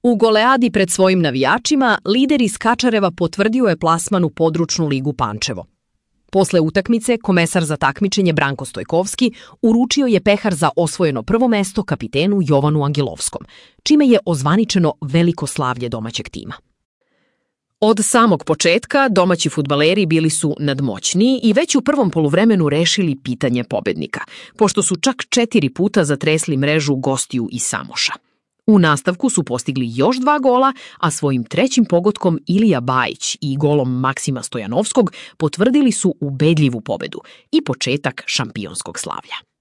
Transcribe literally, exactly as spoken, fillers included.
U goleadi pred svojim navijačima, lider iz Kačareva potvrdio je plasman u područnu ligu Pančevo. Posle utakmice, komesar za takmičenje Branko Stojkovski uručio je pehar za osvojeno prvo mesto kapitenu Jovanu Angelovskom, čime je ozvaničeno veliko slavlje domaćeg tima. Od samog početka domaći fudbaleri bili su nadmoćni i već u prvom poluvremenu rešili pitanje pobednika, pošto su čak četiri puta zatresli mrežu gostiju iz Samoša. U nastavku su postigli još dva gola, a svojim trećim pogotkom Ilija Bajić i golom Maksima Stojanovskog potvrdili su ubedljivu pobedu i početak šampionskog slavlja.